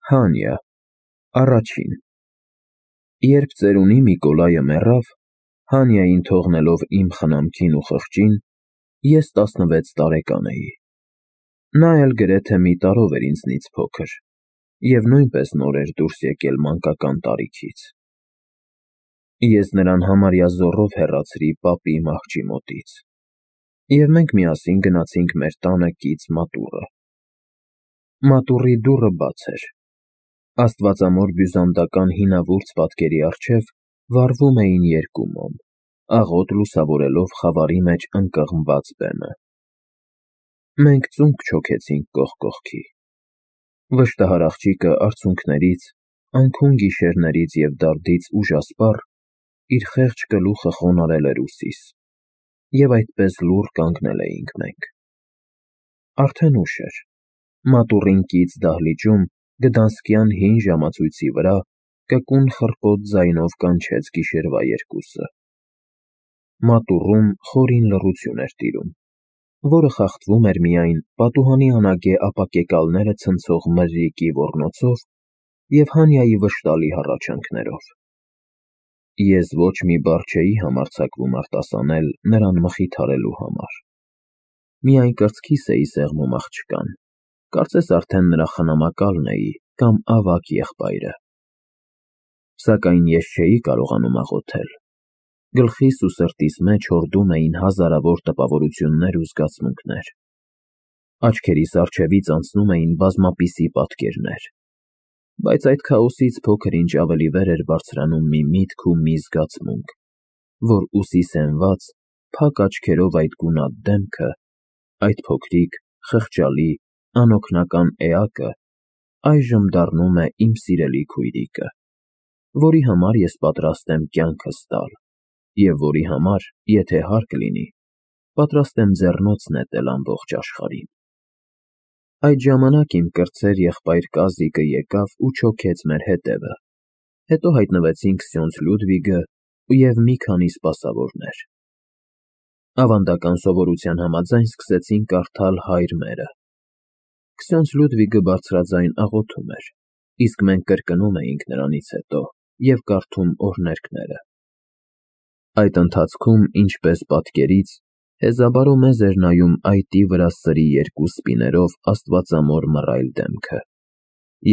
Հանյա, առաջին։ Երբ ծերունի Միկոլայը մեռավ, Հանյային թողնելով իմ խնամքին ու խղճին, ես 16 տարեկան էի։ Նա էլ գրեթե մի տարով էր ինձնից փոքր, և նույնպես նոր էր դուրս եկել մանկական տարիքից։ Ես նրան համարյա զոռով հեռացրի պապի մահճի մոտից, և մենք միասին գնացինք մեր տանը կից մատուռը։ Մատուռի դուռը բաց էր։ Աստվածամոր բյուզանդական հինավուրց պատկերի առջև վառվում էին երկու մոմ, աղոտ լուսավորելով խավարի մեջ ընկղմված բեմը։ Մենք ծունկ չոքեցինք կողք կողքի։ Վշտահար աղջիկը արցունքներից, անքուն գիշերներից և դարդից ուժասպառ իր խեղճ գլուխը խոնարհել էր ուսիս, և այդպես լուռ կանգնել էինք մենք։ Արդեն ուշ էր։ Մատուռին կից դահլիճում գդանսկյան հին ժամացույցի վրա կկուն խռպոտ ձայնով կանչեց գիշերվա երկուսը։ Մատուռում խորին լռություն էր տիրում, որը խախտվում էր միայն պատուհանի անագե ապակեկալները ցնցող մրրիկի ոռնոցով և Հանյայի վշտալի հառաչանքներով։ Ես ոչ մի բառ չէի համարձակվում արտասանել նրան մխիթարելու համար։ Միայն կրծքիս էի սեղմում աղջկան, կարծես արդեն նրա խնամակալն էի կամ ավագ եղբայրը։ Սակայն ես չէի կարողանում աղոթել։ Գլխիս ու սրտիս մեջ հորդում էին հազարավոր տպավորություններ ու զգացմունքներ։ Աչքերիս առջևից անցնում էին բազմապիսի պատկերներ, բայց այդ քաոսից փոքր-ինչ ավելի վեր էր բարձրանում մի միտք ու մի զգացմունք, որ ուսիս հենված, փակ աչքերով այդ գունատ դեմքը, այդ փոքրիկ, խղճալի, անօգնական էակը այժմ դառնում է իմ սիրելի քույրիկը, որի համար ես պատրաստ եմ կյանքս տալ, և որի համար, եթե հարկ լինի, պատրաստ եմ ձեռնոց նետել ամբողջ աշխարհին։ Այդ ժամանակ իմ կրտսեր եղբայր Կազիկը եկավ ու չոքեց մեր հետևը, հետո հայտնվեցին Քսյոնձ Լյուդվիգը և մի քանի սպասավորներ։ Ավանդական սովորության համաձայն սկսեցին կարդալ հայր մերը։ Քսյոնձ Լյուդվիգը բարձրաձայն աղոթում էր, իսկ մենք կրկնում էինք նրանից հետո և կարդում օրհներգները։ Այդ ընթացքում, ինչպես պատկերից, հեզաբարո մեզ էր նայում այտի վրա սրի երկու սպիներով աստվածամոր մռայլ դեմքը,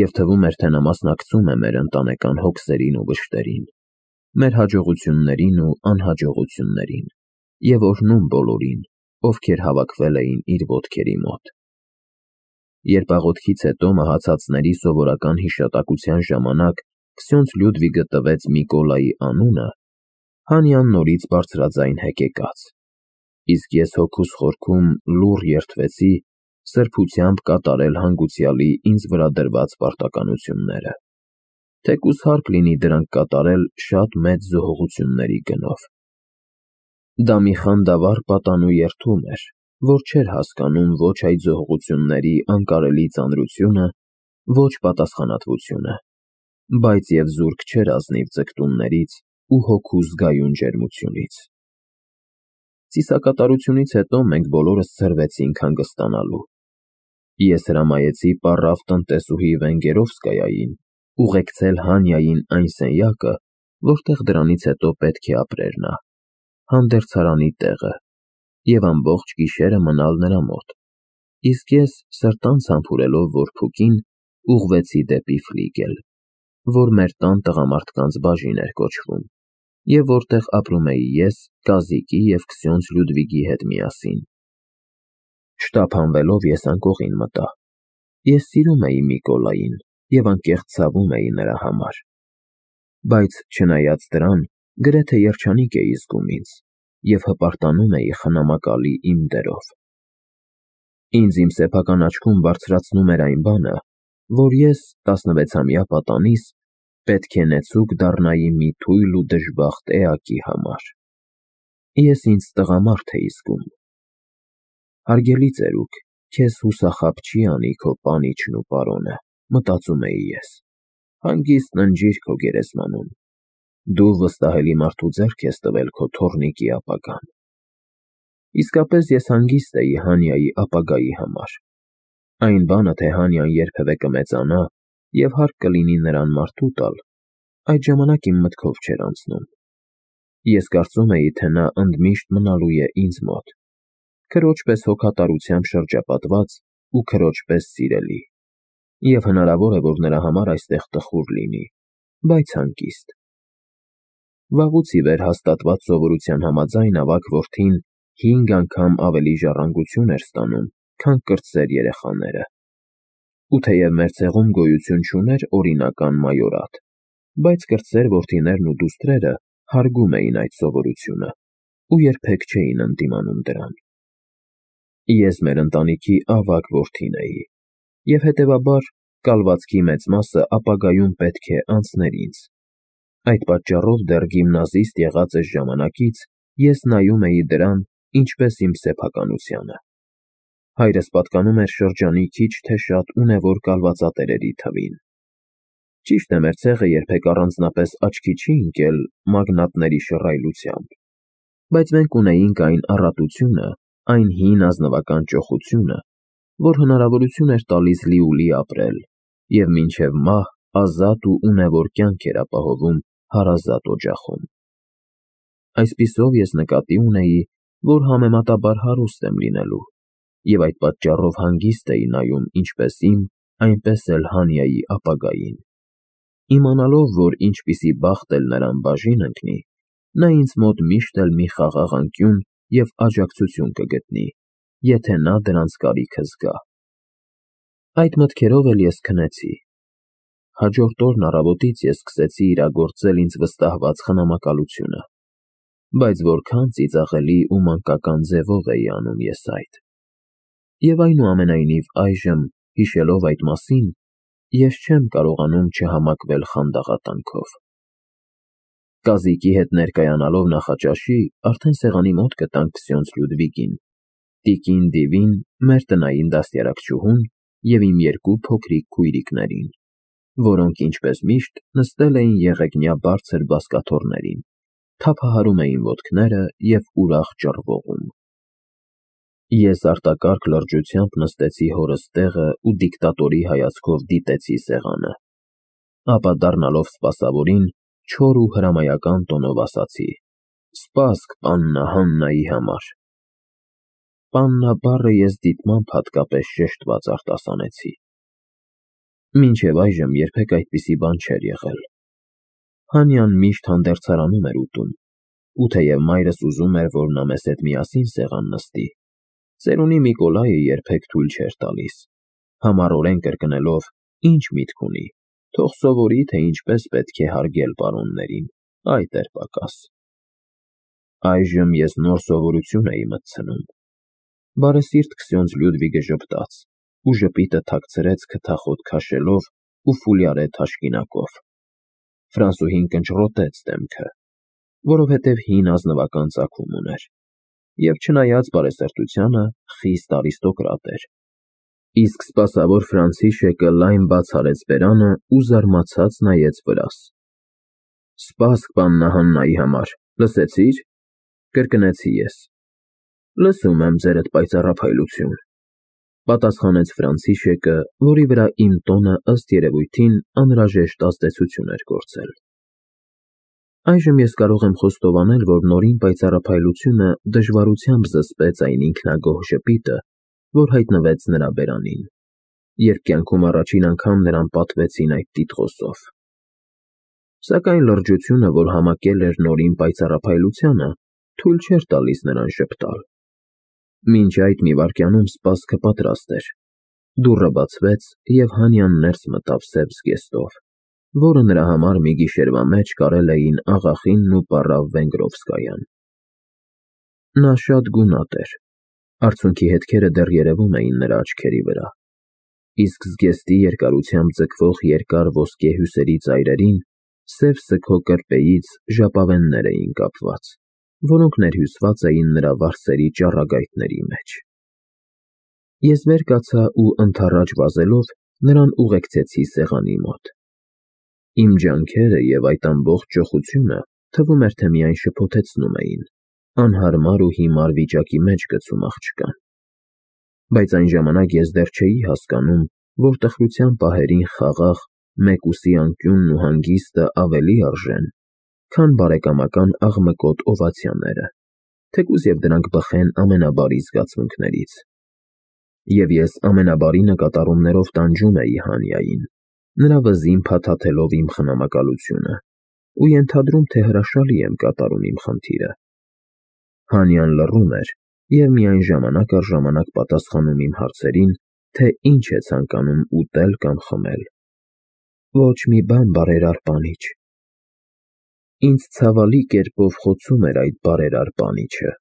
և թվում էր, թե նա մասնակցում է մեր ընտանեկան հոգսերին ու վշտերին, մեր հաջողություններին ու անհաջողություններին, և օրհնում բոլորին, ովքեր հավաքվել էին իր ոտքերի մոտ։ Երբ աղոթքից հետո մահացածների սովորական հիշատակության ժամանակ Քսյոնձ Լյուդվիգը տվեց Միկոլայի անունը, Հանյան նորից բարձրաձայն հեկեկաց, իսկ ես հոգուս խորքում լուռ երդվեցի սրբությամբ կատարել հանգուցյալի ինձ վրա դրված պարտականությունները, թեկուզ հարկ լինի դրանք կատարել շատ մեծ զոհողությունների գնով։ Դա մի խանդավառ պատանու երդում էր, որ չէր հասկանում ոչ այդ զոհողությունների անկարելի ծանրությունը, ոչ պատասխանատվությունը, բայց և զուրկ չէր ազնիվ ձգտումներից ու հոգու զգայուն ջերմությունից։ Ծիսակատարությունից հետո մենք բոլորս ցրվեցինք հանգստանալու։ Ես հրամայեցի պառավ տնտեսուհի Վենգերովսկայային ուղեկցել Հանյային այն սենյակը, որտեղ դրանից հետո պետք է ապրեր նա, հանդերձարանի տեղը, և ամբողջ գիշերը մնալ նրա մոտ, իսկ ես, սրտանց համբուրելով որփուկին, ուղղվեցի դեպի ֆլիգել, որ մեր տան տղամարդկանց բաժին էր կոչվում, և որտեղ ապրում էի ես Կազիկի և Քսյոնձ Լյուդվիգի հետ միասին։ Շտապանվելով ես անկողին մտա։ Ես սիրում էի Միկոլային և անկեղծ ցավում էի նրա համար, բայց չնայած դրան, գրեթե երջանիկ էի զգում ինձ և հպարտանում էի խնամակալի իմ դերով։ Ինձ իմ սեփական աչքում բարձրացնում էր այն բանը, որ ես 16-ամյա պատանիս պետք է նեցուկ դառնայի մի թույլ ու դժբախտ էակի համար։ Ես ինձ տղամարդ էի զգում։ Հարգելի ծերուկ, քեզ հուսախաբ չի անի քո պանիչն ու պարոնը, մտածում էի ես, հանգիստ ննջիր քո գերեզմանում, դու վստահելի մարդու ձեռք ես տվել քո թոռնիկի ապագան։ Իսկապես ես հանգիստ էի Հանյայի ապագայի համար։ Այն բանը, թե Հանյան երբևէ կմեծանա և հարկ կլինի նրան մարդու տալ, այդ ժամանակ իմ մտքով չէր անցնում։ Ես կարծում էի, թե նա ընդմիշտ մնալու է ինձ մոտ, քրոջ պես հոգատարությամբ շրջապատված ու քրոջ պես սիրելի, և հնարավոր է, որ նրա համար այստեղ տխուր լինի, բայց հանգիստ։ Վաղուց ի վեր հաստատված սովորության համաձայն ավագ որդին 5 անգամ ավելի ժառանգություն էր ստանում, քան կրտսեր երեխաները։ Ու թեև մեր ցեղում գոյություն չուներ օրինական մայորատ, բայց կրտսեր որդիներն ու դուստրերը հարգում էին այդ սովորությունը ու երբեք չէին ընդդիմանում դրան։ Ես մեր ընտանիքի ավագ որդին էի, և հետևաբար կալվածքի մեծ մասը ապագայում պետք է անցներ ինձ։ Այդ պատճառով դեռ գիմնազիստ եղած էս ժամանակից ես նայում էի դրան ինչպես իմ սեփականությանը։ Հայրս պատկանում էր շրջանի քիչ թե շատ ունևոր կալվածատերերի թվին։ Ճիշտ է, մեր ցեղը երբեք առանձնապես աչքի չի ընկել մագնատների շռայլությամբ, բայց մենք ունեինք այն առատությունը, այն հին ազնվական ճոխությունը, որ հնարավորություն էր տալիս լիուլի ապրել և մինչև մահ ազատ ու ունևոր կյանք էր ապահովում հարազատ օջախում։ Այսպիսով ես նկատի ունեի, որ համեմատաբար հարուստ եմ լինելու, և այդ պատճառով հանգիստ էի նայում ինչպես իմ, այնպես էլ Հանյայի ապագային։ Իմանալով, որ ինչպիսի բախտ էլ նրան բաժին ընկնի, նա ինձ մոտ միշտ էլ մի խաղաղ անկյուն և աջակցություն կգտնի, եթե նա դրանց կարիքը զգա։ Այդ մտքերով էլ ես քնեցի։ Հաջորդ օրն առավոտից ես սկսեցի իրագործել ինձ վստահված խնամակալությունը, բայց որքան ծիծաղելի ու մանկական ձևով էի անում ես այդ։ Եվ այնուամենայնիվ այժմ, հիշելով այդ մասին, ես չեմ կարողանում չհամակվել խանդաղատանքով։ Կազիկի հետ ներկայանալով նախաճաշի, արդեն սեղանի մոտ գտանք քսյոնց Լյուդվիգին, տիկին Դիվին, մեր տնային դաստիարակչուհուն և իմ 2 փոքրիկ քույրիկներին, որոնք ինչպես միշտ նստել էին եղեգնյա բարձր բազկաթոռներին, թափահարում էին ոտքները և ուրախ ճռվողում։ Ես արտակարգ լրջությամբ նստեցի հորս տեղը ու դիկտատորի հայացքով դիտեցի սեղանը, ապա դառնալով սպասավորին, չոր ու հրամայական տոնով ասացի. «Սպասք պաննա Հաննայի համար»։ Պաննա բառը ես դիտմամբ հատկապես շեշտված արտասանեցի։ Մինչև այժմ երբեք այդպիսի բան չէր եղել։ Հանյան միշտ հանդերձարանում էր ուտում, ու թեև մայրս ուզում էր, որ նա մեզ հետ միասին սեղան նստի, ծերունի Միկոլայը երբեք թույլ չէր տալիս, համառորեն կրկնելով. «Ինչ միտք ունի, թող սովորի, թե ինչպես պետք է հարգել պարոններին, այդ էր պակաս»։ Այժմ ես նոր սովորություն էի մտցնում։ Բարեսիրտ քսյոնց Լյուդվիգը ժպտաց ու ժպիտը թաքցրեց քթախոտ քաշելով ու ֆուլյարե թաշկինակով։ Ֆրանսուհին կնճռոտեց դեմքը, որովհետև հին ազնվական ծագում ուներ, և չնայած բարեսրտությանը, խիստ արիստոկրատ էր։ Իսկ սպասավոր Ֆրանցիշեկը լայն բաց արեց բերանը ու զարմացած նայեց վրաս։ «Սպասք պաննա Հաննայի համար, լսեցի՞ր», կրկնեցի ես։ «Լսում եմ, ձերդ պայծառափայլություն», պատասխանեց Ֆրանցիշեկը, որի վրա իմ տոնը ըստ երևույթին անհրաժեշտ ազդեցություն էր գործել։ Այժմ ես կարող եմ խոստովանել, որ նորին պայծառափայլությունը դժվարությամբ զսպեց այն ինքնագոհ ժպիտը, որ հայտնվեց նրա բերանին, երբ կյանքում առաջին անգամ նրան պատվեցին այդ տիտղոսով։ Սակայն լրջությունը, որ համակել էր նորին պայծառափայլությանը, թույլ չէր տալիս նրան ժպտալ։ Մինչ այդ մի վայրկյանում սպասքը պատրաստ էր։ Դուռը բացվեց, և Հանյան ներս մտավ սև զգեստով, որը նրա համար մի գիշերվա մեջ կարել էին աղախինն ու պառավ Վենգրովսկայան։ Նա շատ գունատ էր, արցունքի հետքերը դեռ երևում էին նրա աչքերի վրա, իսկ զգեստի երկարությամբ ձգվող երկար ոսկե հյուսերի ծայրերին սև սգո կրպեից ժապավեններ էին կապված, որոնք ներհյուսված էին նրա վարսերի ճառագայթների մեջ։ Ես վեր կացա ու ընդառաջ վազելով նրան ուղեկցեցի սեղանի մոտ։ Իմ ջանքերը և այդ ամբողջ ճոխությունը թվում էր, թե միայն շփոթեցնում էին, անհարմար ու հիմար վիճակի մեջ գցում աղջկան։ Բայց այն ժամանակ ես դեռ չէի հասկանում, որ տխրության պահերին խաղաղ մեկուսի անկյունն ու հանգիստը ավելի արժեն, քան բարեկամական աղմկոտ օվացիաները, թեկուզ և դրանք բխեն ամենաբարի զգացմունքներից։ Եվ ես ամենաբարի նկատառումներով տանջում էի Հանյային, նրա վզին փաթաթելով իմ խնամակալությունը, ու ենթադրում, թե հրաշալի եմ կատարում իմ խնդիրը։ Հանյան լռում էր և միայն ժամանակ առ ժամանակ պատասխանում իմ հարցերին, թե ինչ է ցանկանում ուտել կամ խմել։ Ոչ մի բան, բարերար պանիչ։ Ինձ ցավալի կերպով խոցում էր այդ բարերար պանիչը,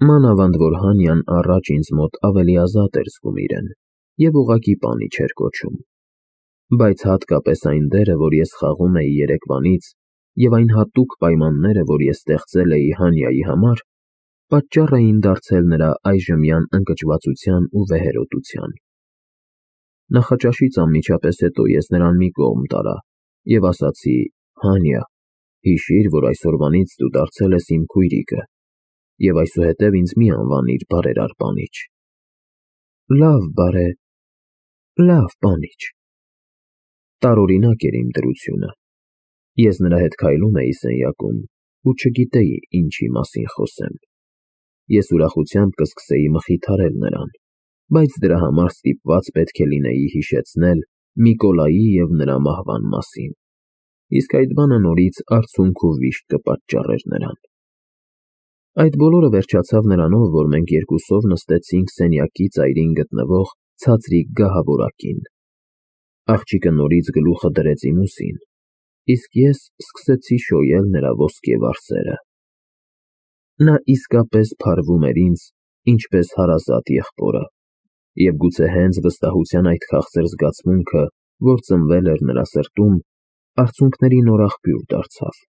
մանավանդ որ Հանյան առաջ ինձ մոտ ավելի ազատ էր զգում իրեն և ուղղակի պանիչ էր կոչում։ Բայց հատկապես այն դերը, որ ես խաղում էի երեկվանից, և այն հատուկ պայմանները, որ ես ստեղծել էի Հանյայի համար, պատճառ էին դարձել նրա այժմյան ընկճվածության ու վեհերոտության։ Նախաճաշից անմիջապես հետո ես նրան մի կողմ տարա և ասացի. «Հանյա, հիշիր, որ այսօրվանից դու դարձել ես իմ քույրիկը, և այսուհետև ինձ մի անվանիր բարերար պանիչ»։ Լավ, պանիչ։ Տարօրինակ էր իմ դրությունը։ Ես նրա հետ քայլում էի սենյակում ու չգիտեի ինչի մասին խոսեմ։ Ես ուրախությամբ կսկսեի մխիթարել նրան, բայց դրա համար ստիպված պետք է լինեի հիշեցնել Միկոլայի և նրա մահվան մասին, իսկ այդ բանը նորից արցունք ու վիշտ կպատճառեր նրան։ Այդ բոլորը վերջացավ նրանով, որ մենք երկուսով նստեցինք սենյակի ծայրին գտնվող ցածրիկ գահավորակին։ Աղջիկը նորից գլուխը դրեց իմ ուսին, իսկ ես սկսեցի շոյել նրա ոսկե վարսերը։ Նա իսկապես փարվում էր ինձ, ինչպես հարազատ եղբորը, և գուցե հենց վստահության այդ քաղցր զգացմունքը, որ ծնվել էր նրա սրտում, արցունքների նոր աղբյուր դարձավ։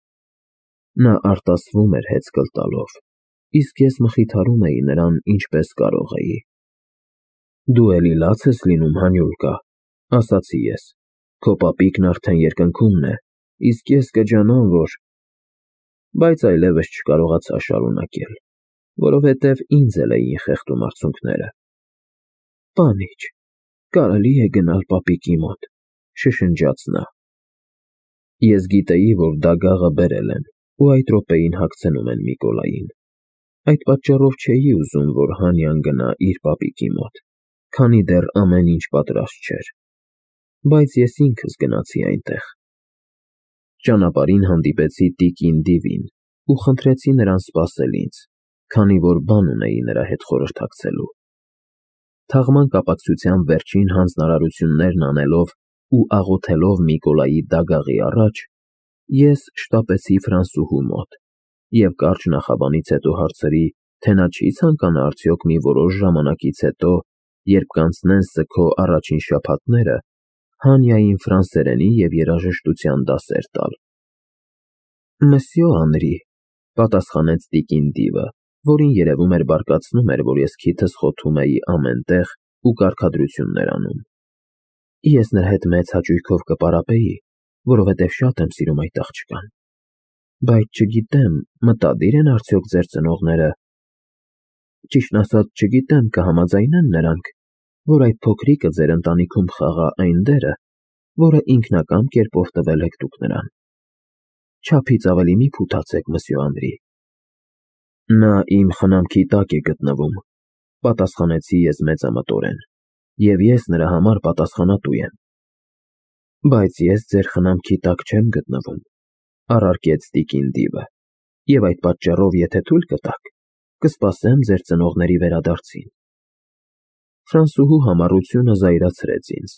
Նա արտասվում էր հեծկլ տալով, իսկ ես մխիթարում էի նրան ինչպես կարող էի։ «Դու էլի լաց ես լինում, Հանյուլկա», ասացի ես, «քո պապիկն արդեն երկնքումն է, իսկ ես կջանամ, որ…» Բայց այլևս չկարողացա շարունակել, որովհետև ինձ էլ էին խեղդում արցունքները։ «Պանիչ, կարելի է գնալ պապիկի մոտ», շշնջաց նա։ Ես գիտեի, որ դագաղը բերել են ու այդ րոպեին հագցնում են Միկոլային։ Այդ պատճառով չէի ուզում, որ Հանյան գնա իր պապիկի մոտ, քանի դեռ ամեն ինչ պատրաստ չէր։ Բայց ես ինքս գնացի այնտեղ։ Ճանապարհին հանդիպեցի տիկին Դիվին ու խնդրեցի նրան սպասել ինձ, քանի որ բան ունեի նրա հետ խորհրդակցելու։ Թաղման կապակցությամբ վերջին հանձնարարություններն անելով ու աղոթելով Միկոլայի դագաղի առաջ, ես շտապեցի Ֆրանսուհու մոտ և կարճ նախաբանից հետո հարցրի, թե նա չի ցանկանա արդյոք մի որոշ ժամանակից հետո, երբ կանցնեն Սքո առաջին շաբաթները, Հանյային ֆրանսերենի և երաժշտության դասեր տալ։ «Մսյո Անրի», պատասխանեց տիկին Դիվը, որին երևում էր բարկացնում էր, որ ես քիթս խոթում էի ամեն տեղ ու կարգադրություններ անում։ Ես նրա հետ մեծ հաճույքով կպարապեի, որովհետև շատ եմ սիրում այդ աղջկան։ Բայց չգիտեմ, մտադիր են արդյոք ձեր ծնողները… Ճիշտն ասած, չգիտեմ, կհամաձայնեն նրանք, որ այդ փոքրիկը ձեր ընտանիքում խաղա այն դերը, որը ինքնակամ կերպով տվել եք դուք նրան։ Չափից ավելի մի փութացեք, մսյո Անրի։ Նա իմ խնամքի տակ է գտնվում, պատասխանեցի ես մեծամտորեն, և ես նրա համար պատասխանատու եմ։ Բայց ես ձեր խնամքի տակ չեմ գտնվում, առարկեց տիկին Դիվը, և այդ պատճառով, եթե թույլ կտաք, կսպասեմ ձեր ծնողների վերադարձին։ Ֆրանսուհու համառությունը զայրացրեց ինձ։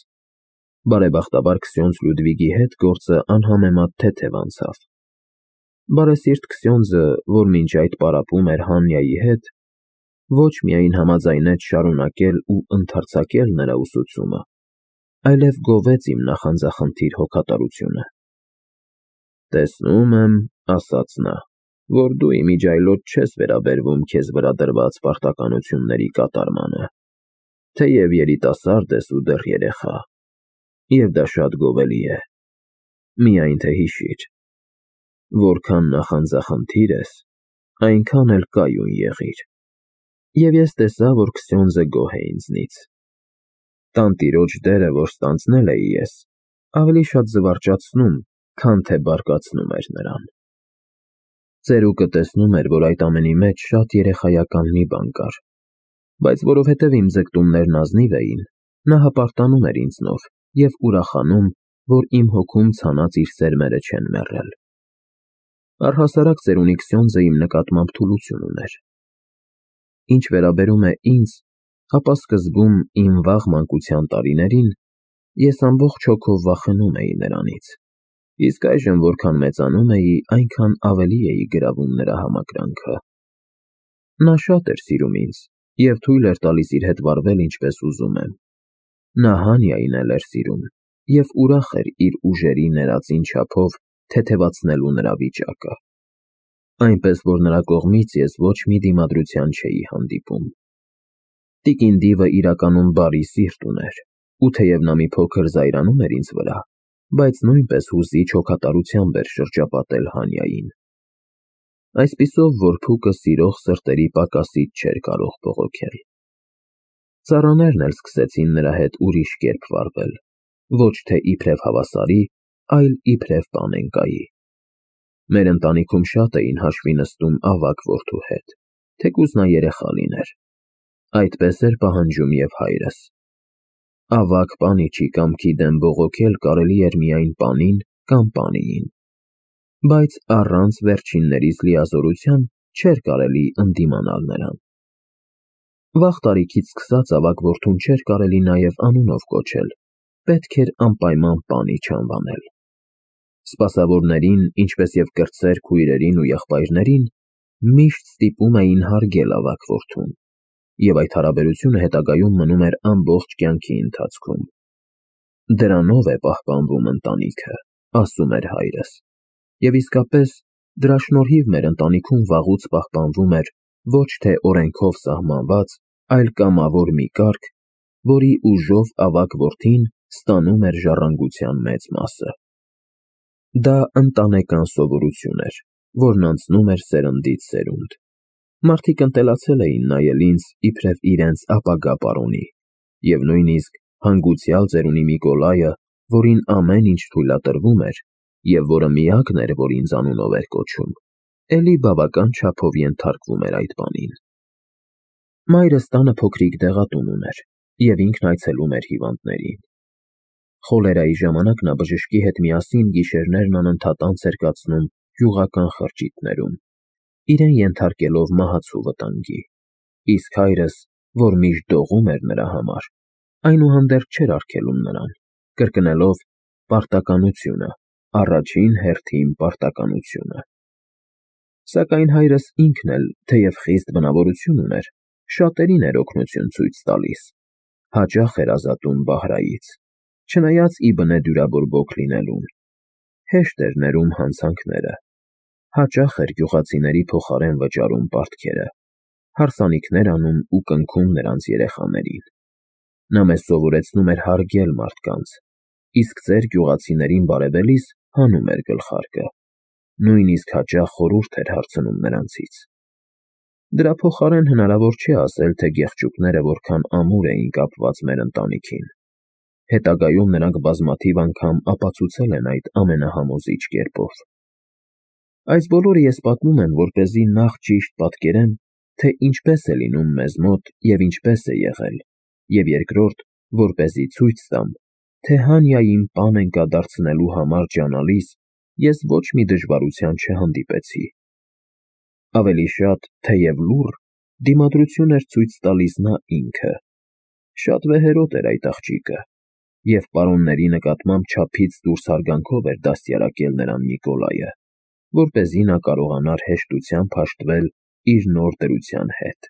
Բարեբախտաբար Քսյոնձ Լյուդվիգի հետ գործը անհամեմատ թեթև անցավ։ Բարեսիրտ Քսյոնձը, որ մինչ այդ պարապում էր Հանյայի հետ, ոչ միայն համաձայնեց շարունակել ու ընդարձակել նրա ուսուցումը, այլև գովեց իմ նախանձախնդիր հոգատարությունը։ «Տեսնում եմ, — ասաց նա, — որ դու իմիջիայլոց չես վերաբերվում քեզ վրա դրված պարտականությունների կատարմանը, թեև երիտասարդ ես ու դեռ երեխա, և դա շատ գովելի է։ Միայն թե հիշիր, որքան նախանձախնդիր ես, այնքան էլ կայուն եղիր»։ Եվ ես տեսա, որ Քսյոնձը գոհ է ինձնից։ Տանտիրոջ դերը, որ ստանձնել էի ես, ավելի շատ զվարճացնում, քան թե բարկացնում էր նրան։ Ծերուկը տեսնում էր, որ այդ ամենի մեջ շատ երեխայական մի բան կար, բայց որովհետև իմ ձգտումներն ազնիվ էին, նա հպարտանում էր ինձնով և ուրախանում, որ իմ հոգում ցանած իր սերմերը չեն մեռել։ Առհասարակ ծերունի Քսյոնդզը իմ նկատմամբ թուլություն ուներ։ Ինչ վերաբերում է ինձ, ապա սկզբում իմ վաղ մանկության տարիներին ես ամբողջ հոգով վախենում էի նրանից, իսկ այժմ որքան մեծանում էի, այնքան ավելի էի գրավում նրա համակրանքը։ Նա շատ էր սիրում ինձ և թույլ էր տալիս իր հետ վարվել ինչպես ուզում եմ։ Նա Հանիային էլ էր սիրում և ուրախ էր իր ուժերի ներածին չափով թեթևացնելու նրա վիճակը, այնպես որ նրա կողմից ես ոչ մի դիմադրության չէի հանդիպում։ Տիկին Դիվը իրականում բարի սիրտ ուներ, ու թեև նա մի փոքր զայրանում էր ինձ վրա, բայց նույնպես հուզիչ հոգատարությամբ էր շրջապատել Հանիային։ Այսպիսով, որ փուկը սիրող սրտերի պակասից չէր կարող բողոքել։ Ծառաներն էլ սկսեցին նրա հետ ուրիշ կերպ վարվել, ոչ թե իբրև հավասարի, այլ իբրև պանենկայի։ Մեր ընտանիքում շատ էին հաշվի նստում ավագ որդու հետ, թեկուզ նա երեխա լիներ։ Այդպես էր պահանջում և հայրս։ Ավագ պանիչի կամքի դեմ բողոքել կարելի էր միայն պանին կամ պանիին, բայց առանց վերջիններիս լիազորության չէր կարելի ընդդիմանալ նրան։ Վաղ տարիքից սկսած ավագ որդուն չէր կարելի նաև անունով կոչել, պետք էր անպայման պանիչ անվանել։ Սպասավորներին, ինչպես և կրտսեր քույրերին ու եղբայրներին, միշտ ստիպում էին հարգել ավագ որդուն, և այդ հարաբերությունը հետագայում մնում էր ամբողջ կյանքի ընթացքում։ Դրանով է պահպանվում ընտանիքը, ասում էր հայրս, և իսկապես դրա շնորհիվ մեր ընտանիքում վաղուց պահպանվում էր ոչ թե օրենքով սահմանված, այլ կամավոր մի կարգ, որի ուժով ավագ որդին ստանում էր ժառանգության մեծ մասը։ Դա ընտանեկան սովորություն էր, որն անցնում էր սերնդից սերունդ։ Մարդիկ ընտելացել էին նայել ինձ իբրև իրենց ապագա պարոնի, և նույնիսկ հանգուցյալ ծերունի Միկոլայը, որին ամեն ինչ թույլատրվում էր, և որը միակն էր, որ ինձ անունով էր կոչում, էլի բավական չափով ենթարկվում էր այդ բանին։ Մայրս տանը փոքրիկ դեղատուն ուներ, և ինքն այցելում էր հիվանդներին։ Խոլերայի ժամանակ նա բժշկի հետ միասին գիշերներն անընդհատ անց էր կացնում գյուղական խրճիթներում, իրեն ենթարկելով մահացու վտանգի, իսկ հայրս, որ միշտ դողում էր նրա համար, այնուհանդերձ չէր արգելում նրան, կրկնելով պարտականությունը, առաջին հերթին պարտականությունը։ Սակայն հայրս ինքն էլ, թեև խիստ բնավորություն ուներ, շատերին էր օգնություն ցույց տալիս, հաճախ էր ազատում բահրայից, չնայած ի բնե դյուրաբորբոք լինելուն, հեշտ էր ներում հանցանքները, հաճախ էր գյուղացիների փոխարեն վճարում պարտքերը, հարսանիքներ անում ու կնքում նրանց երեխաներին։ Նա մեզ սովորեցնում էր հարգել մարդկանց, իսկ ձեր գյուղացիներին բարևելիս հանում էր գլխարկը, նույնիսկ հաճախ խորհուրդ էր հարցնում նրանցից։ Դրա փոխարեն հնարավոր չէ ասել, թե գեղչուկները որքան ամուր էին կապված մեր ընտանիքին։ Հետագայում նրանք բազմաթիվ անգամ ապացուցել են այդ ամենահամոզիչ կերպով։ Այս բոլորը ես պատմում եմ, որպեսզի նախ ճիշտ պատկերեմ, թե ինչպես է լինում մեզ մոտ և ինչպես է եղել, և երկրորդ, որպեսզի ցույց տամ, թե Հանիային պանենկա դարձնելու համար ջանալիս ես ոչ մի դժվարության չհանդիպեցի։ Ավելի շատ, թեև լուռ, դիմադրություն էր ցույց տալիս նա ինքը։ Շատ վեհերոտ էր այդ աղջիկը, և պարոնների նկատմամբ չափից դուրս հարգանքով էր դաստիարակել նրան Միկոլայը, որպեսզի նա կարողանար հեշտությամբ հաշտվել իր նոր դրության հետ։